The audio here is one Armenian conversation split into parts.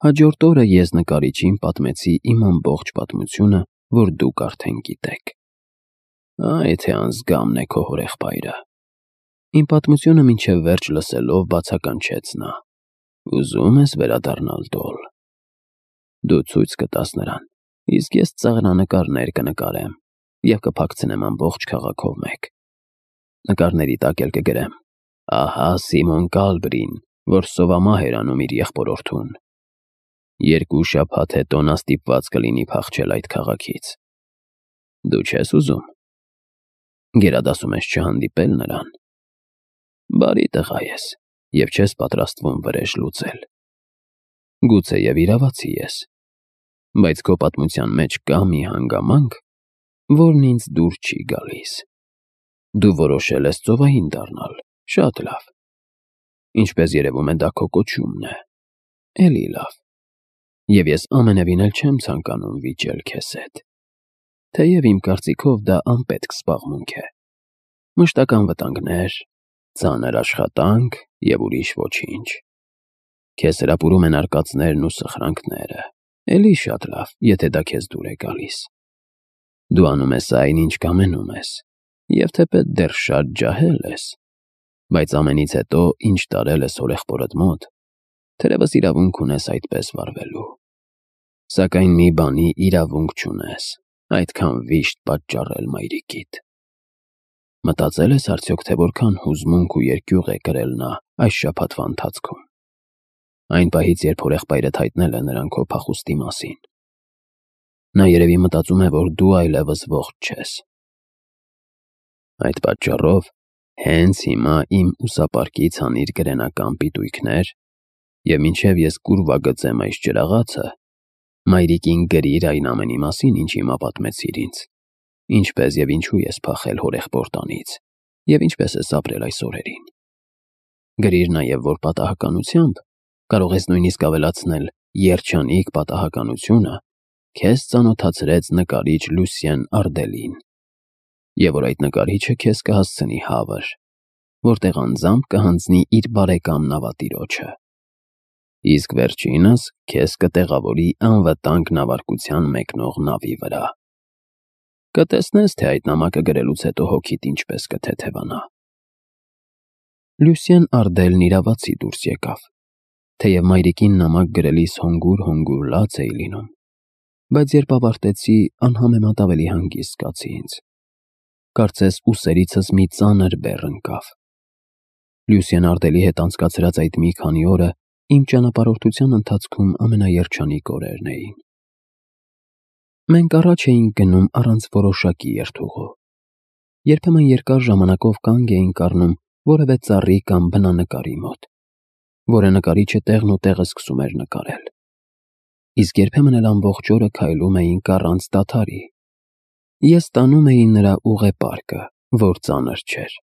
Հաջորդ օրը ես նկարիչին պատմեցի իմ ամբողջ պատմությունը, որ դուք արդեն գիտեք։ Այ թե անզգամն է քո հորեղբայրը։ Իմ պատմությունը մինչև վերջ լսելով բացականչեց նա։ Ուզում ես վերադառնալ դոլ։ Դու ցույց կտաս նրան, իսկ ես ծաղրանկարներ կնկարեմ և կփակցնեմ ամբողջ քաղաքով մեկ։ Նկարների տակ էլ կգրեմ. ահա Սիմոն Կալբրին, որ սովամահ էր անում իր եղբորորդուն։ 2 շաբաթ հետո նա ստիպված կլինի փախչել այդ քաղաքից։ Դու չես ուզում։ Գերադասում ես չհանդիպել նրան։ Բարի տղա ես, և չես պատրաստվում վրեժ լուծել։ Գուցե և իրավացի ես, բայց քո պատմության մեջ կա մի հանգամանք, որն ինձ դուր չի գալիս։ Դու որոշել ես ծովային դառնալ, շատ լավ։ Ինչպես երևում է, դա քո կոչումն է։ Էլի լավ։ Եվ ես ամենևին էլ չեմ ցանկանում վիճել քեզ հետ։ Թեև իմ կարծիքով դա անպետք զբաղմունք է։ Մշտական վտանգներ, ծանր աշխատանք և ուրիշ ոչինչ։ Քեզ հրապուրում են արկածներն ու սխրանքները։ Էլի շատ լավ, եթե դա քեզ դուր է գալիս։ Դու անում ես այն, ինչ կամենում ես, և թեպետ դեռ շատ ջահել ես, բայց ամենից հետո, ինչ տարել ես հորեղբորդ մոտ, թերևս իրավունք ունես այդպես վարվելու։ Սակայն մի բանի իրավունք չունես, այդքան վիշտ պատճառել մայրիկիդ։ Մտածել ես արդյոք, թե որքան հուզմունք ու երկյուղ է կրել նա այս շաբաթվա ընթացքում։ Այն պահից, երբ հորեղբայրդ հայտնել է նրան քո փախուստի մասին։ Նա երևի մտածում է, որ դու այլևս ողջ չես։ Այդ պատճառով հենց հիմա իմ ուսապարկից հանիր գրենական պիտույքներ և մինչև ես կուրվա գծեմ այս ջրաղացը, մայրիկին գրիր այն ամենի մասին, ինչ հիմա պատմեցիր ինձ, ինչպես և ինչու ես փախել հորեղբոր տանից և ինչպես ես ապրել այս օրերին։ Գրիր նաև, որ պատահականությամբ, կարող ես նույնիսկ ավելացնել երջանիկ պատահականությունը, քեզ ծանոթացրեց նկարիչ Լուսիեն Արդելին, և որ այդ նկարիչը քեզ կհասցնի Հավր, որտեղ անձամբ կհանձնի իր բարեկամ նավատիրոջը, իսկ վերջինս քեզ կտեղավորի անվտանգ նավարկության մեկնող նավի վրա։ Կտեսնես, թե այդ նամակը գրելուց հետո հոգիդ ինչպես կթեթևանա։ Լուսիեն Արդելն իրավացի դուրս եկավ, թեև մայրիկին նամակ գրելիս հոնգուր լաց էի լինում, բայց երբ ավարտեցի, անհամեմատ ավելի հանգիստ զգացի ինձ։ Կարծես ուսերիցս մի ծանր բեռ ընկավ։ Լուսիեն Արդելի հետ անցկացրած այդ մի քանի օրը իմ ճանապարհորդության ընթացքում ամենաերջանիկ օրերն էին։ Մենք առաջ էինք գնում առանց որոշակի երթուղու։ Երբեմն երկար ժամանակով կանգ էինք առնում որևէ ծառի կամ բնանկարի մոտ, որը նկարիչը տեղն ու տեղը սկսում էր նկարել։ Իսկ երբեմն էլ ամբողջ օրը քայլում էինք առանց դադարի։ Ես տանում էի նրա ուղեպարկը, որ ծանր չէր,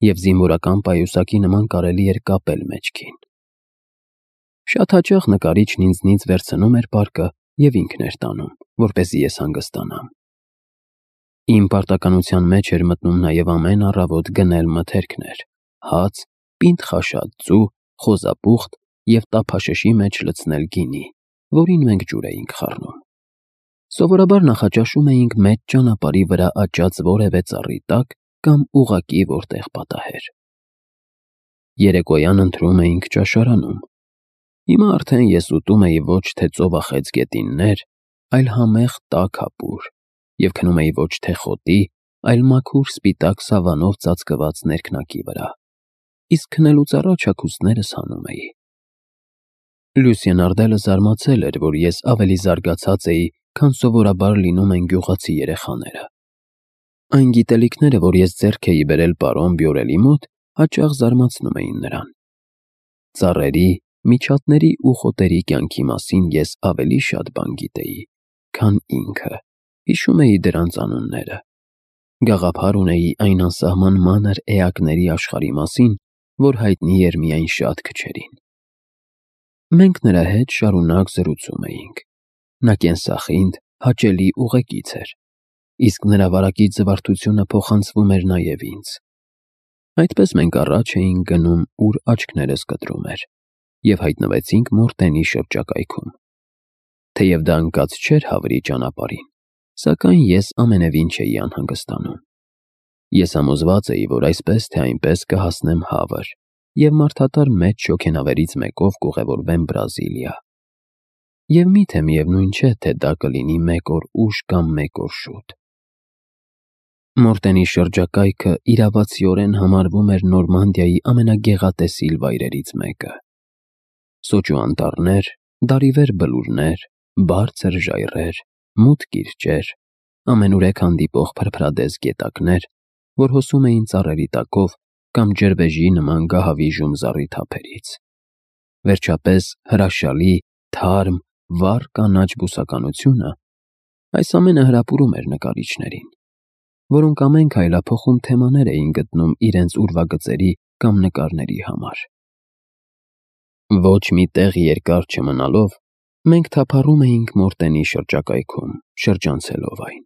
և զինվորական պայուսակի նման կարելի էր կապել մեջքին։ Շատ հաճախ նկարիչն ինձնից վերցնում էր պարկը և ինքն էր տանում, որպեսզի ես հանգստանամ։ Իմ պարտականության մեջ էր մտնում նաև ամեն առավոտ գնել մթերքներ, հաց, պինդ խաշած ձու, խոզապուխտ և տափաշշի մեջ լցնել գինի, որին մենք ջուր էինք խառնում։ Սովորաբար նախաճաշում էինք մեծ ճանապարհի վրա աճած որևէ ծառի տակ կամ ուղղակի որտեղ պատահեր։ Երեկոյան ընթրում էինք ճաշարանում։ Հիմա արդեն ես ուտում էի ոչ թե ծովախեց գետիններ, այլ համեղ տաք հապուր, և քնում էի ոչ թե խոտի, այլ մաքուր սպիտակ սավանով ծածկված ներքնակի վրա, իսկ քնելուց առաջ հագուստներս հանում էի։ Լուսիեն Արդելը զարմացել էր, որ ես ավելի զարգացած էի, քան սովորաբար լինում են գյուղացի երեխաները։ Այն գիտելիքները, որ ես ձեռք էի բերել պարոն Բյորելի մոտ, հաճախ զարմացնում էին նրան։ Ծառերի, միջատների ու խոտերի կյանքի մասին ես ավելի շատ բան գիտեի, քան ինքը, հիշում էի դրանց անունները։ Գաղափար ունեի այն անսահման մանր էակների աշխարհի մասին, որ հայտնի էր միայն շատ քչերին։ Մենք նրա հետ շարունակ զրուցում էինք։ Նա կենսախինդ, հաճելի ուղեկից էր, իսկ նրա վարակիչ զվարթությունը փոխանցվում էր նաև ինձ։ Այդպես մենք առաջ էինք գնում, ուր աչքներս կտրում էր, և հայտնվեցինք Մորտենի շրջակայքում, Թեև դա ընկած չէր հավրի ճանապարհին, սակայն ես ամենևին չէի անհանգստանում։ Ես համոզված էի, որ այսպես թե այնպես կհասնեմ Հավր և մարդատար մեծ շոգենավերից մեկով կուղևորվեմ Բրազիլիա։ Եվ միթե միևնույն չէ, թե դա կլինի մեկ օր ուշ կամ մեկ օր շուտ։ Մորտենի շրջակայքը իրավացիորեն համարվում էր Նորմանդիայի ամենագեղատեսիլ վայրերից մեկը։ Սոճու անտառներ, դարիվեր բլուրներ, բարձր ժայռեր, մութ կիրճեր, ամենուրեք հանդիպող փրփրադես գետակներ, որ հոսում էին ծառերի տակով կամ ջրվեժի նման գահավիժում զառիթափերից։ Վերջապես հրաշալի, թարմ, վառ կանաչ բուսականությունը, այս ամենը հրապուրում էր նկարիչներին, որոնք ամեն քայլափոխում թեմաներ էին գտնում իրենց ուրվագծերի կամ նկարների համար։ Ոչ մի տեղ երկար չմնալով, մենք թափառում էինք Մորտենի շրջակայքում, շրջանցելով այն։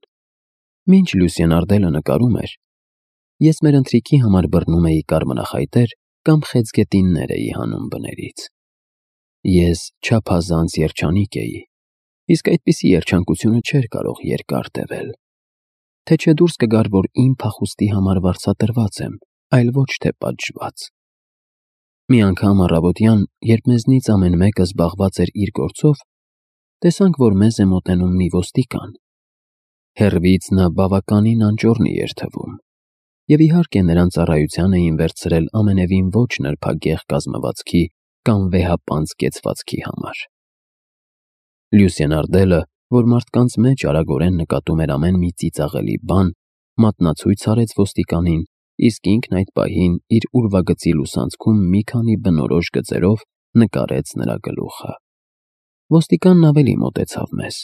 Մինչ Լուսիեն Արդելը նկարում էր, ես մեր ընթրիքի համար բռնում էի կարմրախայտեր կամ խեցգետիններ էի հանում բներից։ Ես չափազանց երջանիկ էի, իսկ այդպիսի երջանկությունը չէր կարող երկար տևել։ Թե չէ դուրս կգար, որ իմ փախուստի համար վարձատրված եմ, այլ ոչ թե պատժված։ Մի անգամ առավոտյան, երբ մեզնից ամեն մեկը զբաղված էր իր գործով, տեսանք, որ մեզ է մոտենում մի ոստիկան։ Հեռվից նա բավականին անճոռնի էր թվում, և իհարկե նրան ծառայության էին վերցրել ամենևին ոչ նրբագեղ կազմվածքի կամ վեհապանծ կեցվածքի համար։ Լուսիեն Արդելը, որ մարդկանց մեջ արագորեն նկատում էր ամեն մի ծիծաղելի բան, մատնացույց արեց ոստիկանին, իսկ ինքն այդ պահին իր ուրվագծի լուսանցքում մի քանի բնորոշ գծերով նկարեց նրա գլուխը։ Ոստիկանն ավելի մոտեցավ մեզ,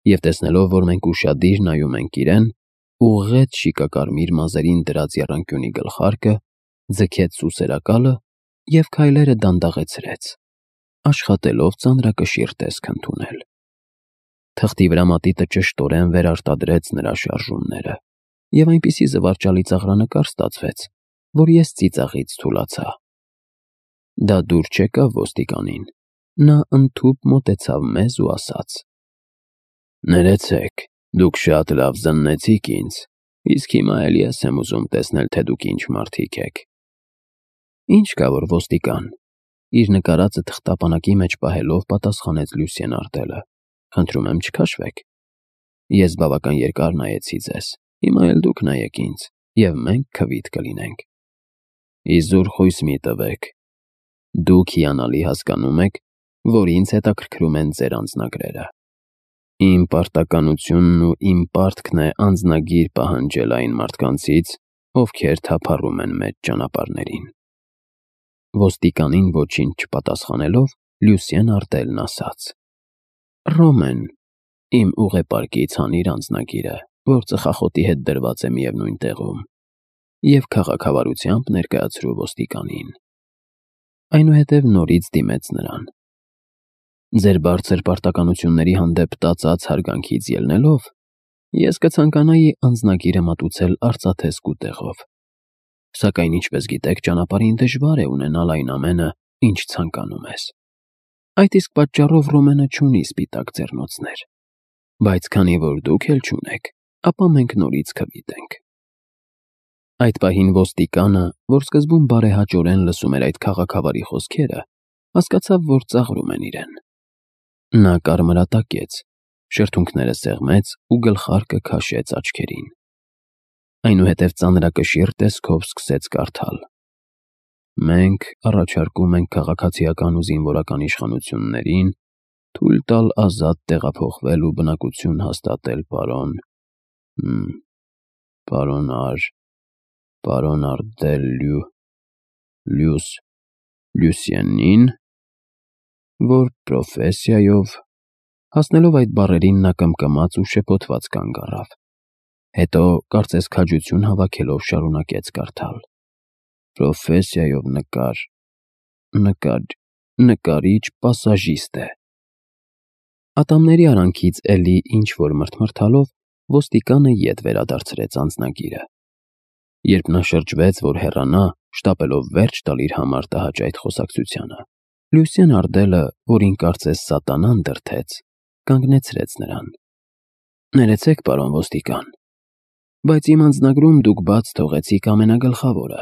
և տեսնելով, որ մենք ուշադիր նայում ենք իրեն, ուղղեց շիկակարմիր մազերին դրած եռանկյունի գլխարկը, ձգեց սուսերակալը և քայլերը դանդաղեցրեց, աշխատելով ծանրակշիռ տեսք ընդունել։ Թղթի վրա մատիտը ճշտորեն վերարտադրեց նրա շարժումները, և այնպիսի զվարճալի ծաղրանկար ստացվեց, որ ես ծիծաղից թուլացա։ Դա դուր չեկավ ոստիկանին, նա ընդհուպ մոտեցավ մեզ ու ասաց. «Ներեցեք, դուք շատ լավ զննեցիք ինձ, իսկ հիմա էլ ես եմ ուզում տեսնել, թե դուք ինչ մարդիկ եք»։ Ինչ կա որ ոստիկան, իր նկարածը թղթապանակի մեջ պահելով պատասխանեց Լուսիեն Արդելը. «Խնդրում եմ չքաշվեք։ Ես բավական երկար նայեցի ձեզ, հիմա էլ դուք նայեք ինձ, և մենք քվիթ կլինենք։ Իզուր խույս մի տվեք։ Դուք հիանալի հասկանում եք, որ ինձ հետաքրքրում են ձեր անձնագրերը։ Իմ պարտականությունն ու իմ պարտքն է անձնագիր պահանջել այն մարդկանցից, ովքեր թափառում են մեծ ճանապարհներին»։ Ոստիկանին ոչինչ չպատասխանելով, Լուսիեն Արդելն ասաց. «Ռոմեն, իմ ուղեպարկից հանիր անձնագիրը, որ ծխախոտի հետ դրված է միևնույն տեղում, և քաղաքավարությամբ ներկայացրու ոստիկանին»։ Այնուհետև նորից դիմեց նրան. «Ձեր բարձր պարտականությունների հանդեպ տածած հարգանքից ելնելով, ես կցանկանայի անձնագիրը մատուցել արծաթե սկուտեղով, սակայն ինչպես գիտեք, ճանապարհին դժվար է ունենալ այն ամենը, ինչ ցանկանում ես։ Այդ իսկ պատճառով Ռոմենը չունի սպիտակ ձեռնոցներ, բայց քանի որ դուք էլ չունեք, ապա մենք նորից քվիթ ենք»։ Այդ պահին ոստիկանը, որ սկզբում բարեհաճորեն լսում էր այդ քաղաքավարի խոսքերը, հասկացավ, որ ծաղրում են իրեն։ Նա կարմրատակեց, շրթունքները սեղմեց ու գլխարկը քաշեց աչքերին։ Այնուհետև ծանրակշիռ տեսքով սկսեց կարդալ. «Մենք առաջարկում ենք քաղաքացիական ու զինվորական իշխանություններին թույլ տալ ազատ տեղափոխվել ու բնակություն հաստատել պարոն Արդել Լուսիենին, որ պրոֆեսիայով…» Հասնելով այդ բառերին նա կմկմաց ու շփոթված կանգ առավ։ Հետո, կարծես քաջություն հավաքելով, շարունակեց կարդալ. «Պրոֆեսիայով նկարիչ պասաժիստ է»։ Ատամների արանքից էլի ինչ-որ մրթմրթալով ոստիկանը ետ վերադարձրեց անձնագիրը։ Երբ նա շրջվեց, որ հեռանա, շտապելով վերջ տալ իր համար տհաճ այդ խոսակցությանը, Լուսիեն Արդելը, որին կարծես սատանան դրդեց, կանգնեցրեց նրան։ Ներեցեք, պարոն ոստիկան, բայց իմ անձնագրում դուք բաց թողեցիք ամենագլխավորը,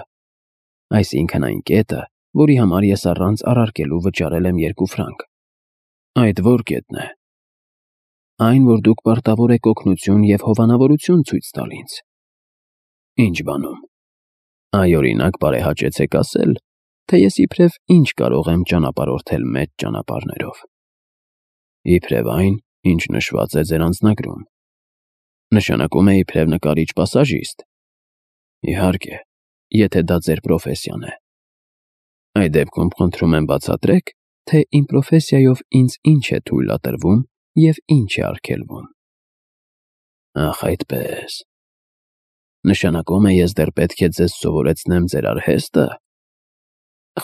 այսինքն այն կետը, որի համար ես առանց առարկելու վճարել եմ 2 ֆրանկ։ Այդ որ կետն է։ Այն, որ դուք պարտավոր եք օգնություն և հովանավորություն ցույց տալ ինձ։ Ինչ բանում։ Այ օրինակ բարեհաճեցեք ասել, թե ես իբրև ինչ կարող եմ ճանապարհորդել մեծ ճանապարհներով։ Իբրև այն, ինչ նշված է ձեր անձնագրում։ Նշանակում է իբրև նկարիչ-պասաժիստ։ Իհարկե, եթե դա ձեր պրոֆեսիան է։ Այդ դեպքում խնդրում եմ բացատրեք, թե իմ պրոֆեսիայով ինձ ինչ է թույլատրվում և ինչ է արգելվում։ Ախ, այդպես։ Նշանակում է ես դեռ պետք է ձեզ սովորեցնեմ ձեր արհեստը։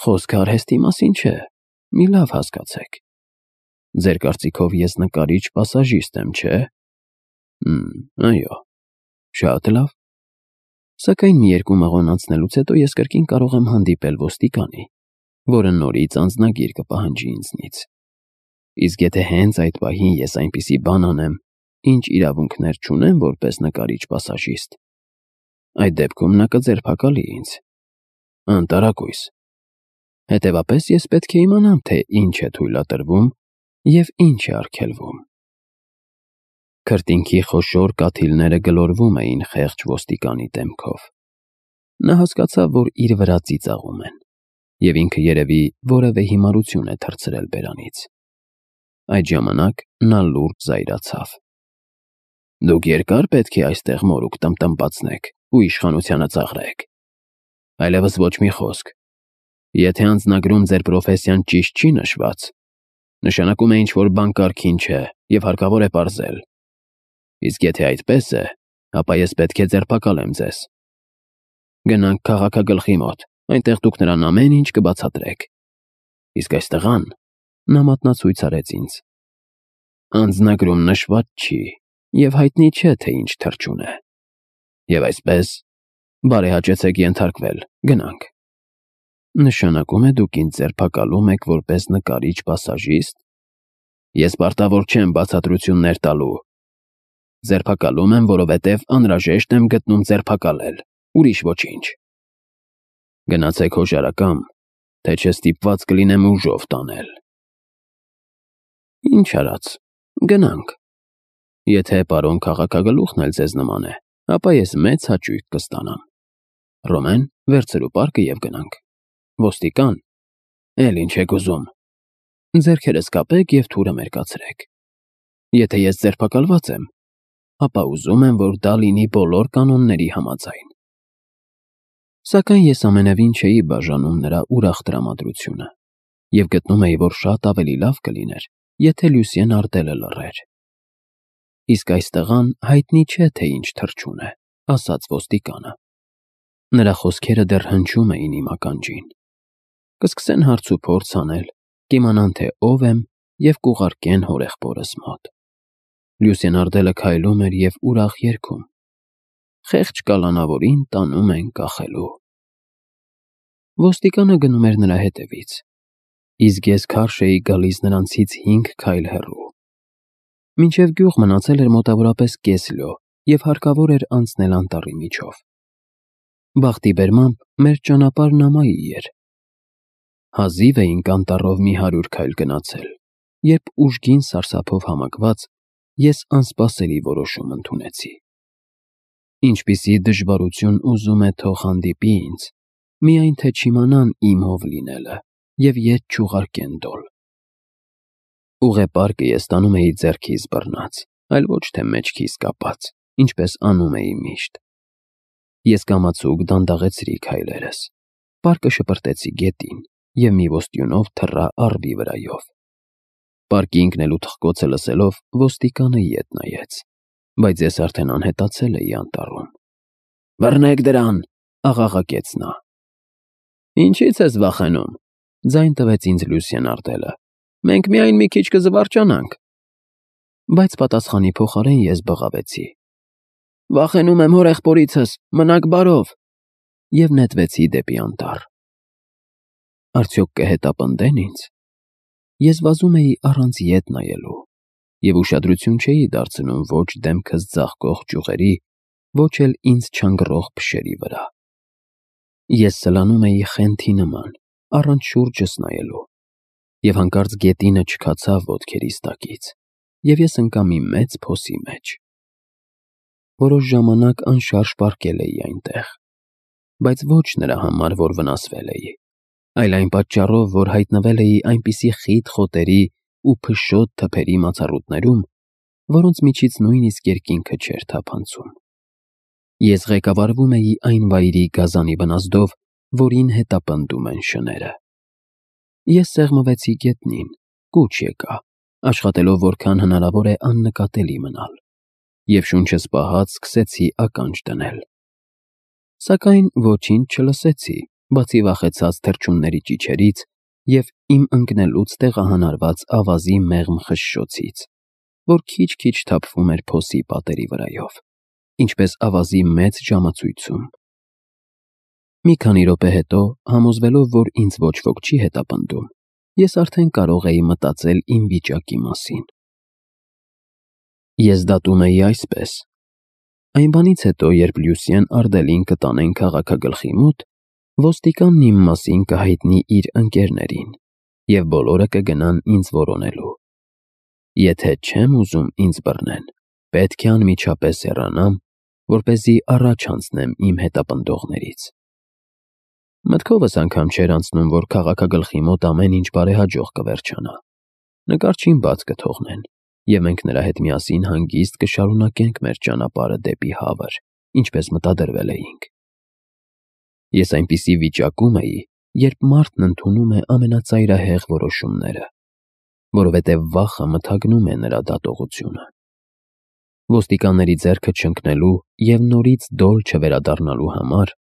Խոսքը արհեստի մասին չէ, մի լավ հասկացեք։ Ձեր կարծիքով ես նկարիչ-պասաժիստ եմ, չէ՞։ Այո, շատ լավ։ Սակայն մի 2 մղոն անցնելուց հետո ես կրկին կարող եմ հանդիպել ոստիկանի, որը նորից անձնագիր կպահանջի ինձնից։ Իսկ եթե հենց այդ պահին ես այնպիսի բան անեմ, ինչ իրավունքներ չունեմ որպես նկարիչ-պասաժիստ, այդ դեպքում նա կձերբակալի ինձ։ Անտարակույս։ Հետևաբար ես պետք է իմանամ, թե ինչ է թույլատրվում և ինչ է արգելվում։ Քրտինքի խոշոր կաթիլները գլորվում էին խեղճ ոստիկանի դեմքով։ Նա հասկացավ, որ իր վրա ծիծաղում են, և ինքը երևի որևէ հիմարություն է թռցրել բերանից։ Այդ ժամանակ նա լուրջ զայրացավ։ Դուք երկար պետք է այստեղ մորուք տմտմբացնեք ու իշխանությանը ծաղրեք։ Այլևս ոչ մի խոսք։ Եթե անձնագրում ձեր պրոֆեսիան ճիշտ չի նշված, նշանակում է ինչ-որ բան կարգին չէ և հարկավոր է պարզել։ Իսկ եթե այդպես է, ապա ես պետք է ձերբակալեմ ձեզ։ Գնանք քաղաքագլխի մոտ, այնտեղ դուք նրան ամեն ինչ կբացատրեք։ Իսկ այս տղան, նա մատնացույց արեց ինձ, անձնագրում նշված չի և հայտնի չէ, թե ինչ թռչուն է։ Եվ այսպես, բարեհաճեցեք ենթարկվել, գնանք։ Նշանակում է դուք ինձ ձերբակալում եք որպես նկարիչ-պասաժիստ։ Ես պարտավոր չեմ բացատրություններ տալու։ Ձերբակալում եմ, որովհետև անհրաժեշտ եմ գտնում ձերբակալել, ուրիշ ոչինչ։ Գնացեք հոժարակամ, թե չէ ստիպված կլինեմ ուժով տանել։ Ինչ արած, գնանք։ Եթե պարոն քաղաքագլուխն էլ ձեզ նման է, ապա ես մեծ հաճույք կստանամ։ Ռոմեն, վերցրու պարկը և գնանք։ Ոստիկան, էլ ինչ եք ուզում։ Ձեռքերս կապեք և թուրը մերկացրեք։ Եթե ես ձերբակալված եմ, ապա ուզում եմ, որ դա լինի բոլոր կանոնների համաձայն։ Սակայն ես ամենևին չէի բաժանում նրա ուրախ տրամադրությունը և գտնում էի, որ շատ ավելի լավ կլիներ, եթե Լյուսիեն Արտելը լռեր։ Իսկ այս տղան հայտնի չէ, թե ինչ թռչուն է, ասաց ոստիկանը։ Նրա խոսքերը դեռ հնչում էին իմ ականջին։ Կսկսեն հարց ու փորձ անել, կիմանան, թե ով եմ և կուղարկեն հորեղբորս մոտ։ Լյուսիեն Արտելը քայլում էր և ուրախ երգում. «Խեղճ կալանավորին տանում են կախելու»։ Ոստիկանը գնում էր նրա հետևից, իսկ ես քարշ էի գալիս նրանցից 5 քայլ հեռու։ Մինչև գյուղ մնացել էր մոտավորապես կես լյո և հարկավոր էր անցնել անտառի միջով։ Բախտի բերմամբ մեր ճանապարհն ամայի էր։ Հազիվ էինք անտառով մի 100 քայլ գնացել, երբ ուժգին սարսափով համակված ես անսպասելի որոշում ընդունեցի։ Ինչպիսի դժվարություն ուզում է թող հանդիպի ինձ, միայն թե չիմանան իմ ով լինելը և ետ չուղարկեն դոլ։ Ուղեպարկը ես տանում էի ձեռքիս բռնած, այլ ոչ թե մեջքիս կապած, ինչպես անում էի միշտ։ Ես կամացուկ դանդաղեցրի քայլերս, պարկը շպրտեցի գետին և մի ոստյունով թռա առվի վրայով։ Պարկի ընկնելու թխկոցը լսելով ոստիկանը ետ նայեց, բայց ես արդեն անհետացել էի անտառում։ «Բռնեք դրան», աղաղակեց նա։ «Ինչի՞ց ես վախենում», ձայն տվեց ինձ Լյուսիեն Արտելը։ «Մենք միայն մի քիչ կզվարճանանք»։ Բայց պատասխանի փոխարեն ես բղավեցի. «Վախենում եմ հորեղբորիցս, մնաք բարով» և նետվեցի դեպի անտառ։ Արդյոք կհետապնդե՞ն ինձ։ Ես վազում էի առանց ետ նայելու։ և ուշադրություն չէի դարձնում ոչ դեմքս ձաղկող ճյուղերի, ոչ էլ ինձ չանգռող փշերի վրա։ Ես սլանում էի խենթի նման, առանց շուրջս նայելու, և հանկարծ գետինը չքացավ ոտքերիս տակից, և ես ընկա մի մեծ փոսի մեջ։ Որոշ ժամանակ անշարժ պառկել էի այնտեղ, բայց ոչ նրա համար, որ վնասվել էի, այլ այն պատճառով, որ հայտնվել էի այնպիսի խիտ խոտերի ու փշոտ թփերի մացառուտներում, որոնց միջից նույնիսկ երկինքը չէր թափանցում։ Ես ղեկավարվում էի այն վայրի գազանի բնազդով, որին հետապնդում են շները։ Ես սեղմվեցի գետնին, կուչ եկա, աշխատելով որքան հնարավոր է աննկատելի մնալ, և շունչս պահած սկսեցի ականջ դնել։ Սակայն ոչինչ չլսեցի, բացի վախեցած թռչունների ճիչերից և իմ ընկնելուց տեղահանարված ավազի մեղմ խշշոցից, որ քիչ-քիչ թափվում էր փոսի պատերի վրայով, ինչպես ավազի մեծ ժամացույցում։ Մի քանի րոպե հետո, համոզվելով, որ ինձ ոչ ոք չի հետապնդում, ես արդեն կարող էի մտածել իմ վիճակի մասին։ Ես դատում էի այսպես. այն բանից հետո, երբ Լյուսիեն Արդելին կտանեն քաղաքագլխի մոտ, ոստիկանն իմ մասին կհայտնի իր ընկերներին, և բոլորը կգնան ինձ որոնելու։ Եթե չեմ ուզում ինձ բռնեն, պետք է անմիջապես հեռանամ, որպեսզի առաջ անցնեմ իմ հետապնդողներից։ Մտքովս անգամ չէր անցնում, որ քաղաքագլխի մոտ ամեն ինչ բարեհաջող կվերջանա։ Նկարչին բաց կթողնեն, և մենք նրա հետ միասին հանգիստ կշարունակենք մեր ճանապարհը դեպի հավր, ինչպես մտադրվել էինք։ Ես այնպիսի վիճակում էի, երբ մարդն ընդունում է ամենածայրահեղ որոշումները, որովհետև վախը մթագնում է նրա դատողությունը։ Ոստիկանների ձեռքը չընկնելու և նորից դոլ չվերադառնալու համար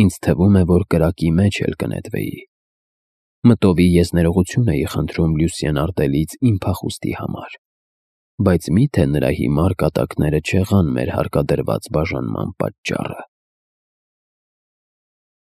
ինձ թվում է, որ կրակի մեջ էլ կնետվեի։ Մտովի ես ներողություն էի խնդրում Լյուսիեն Արդելից իմ փախուստի համար, բայց մի՞թե նրա հիմար կատակները չեղան մեր հարկադրված բաժանման պատճառը։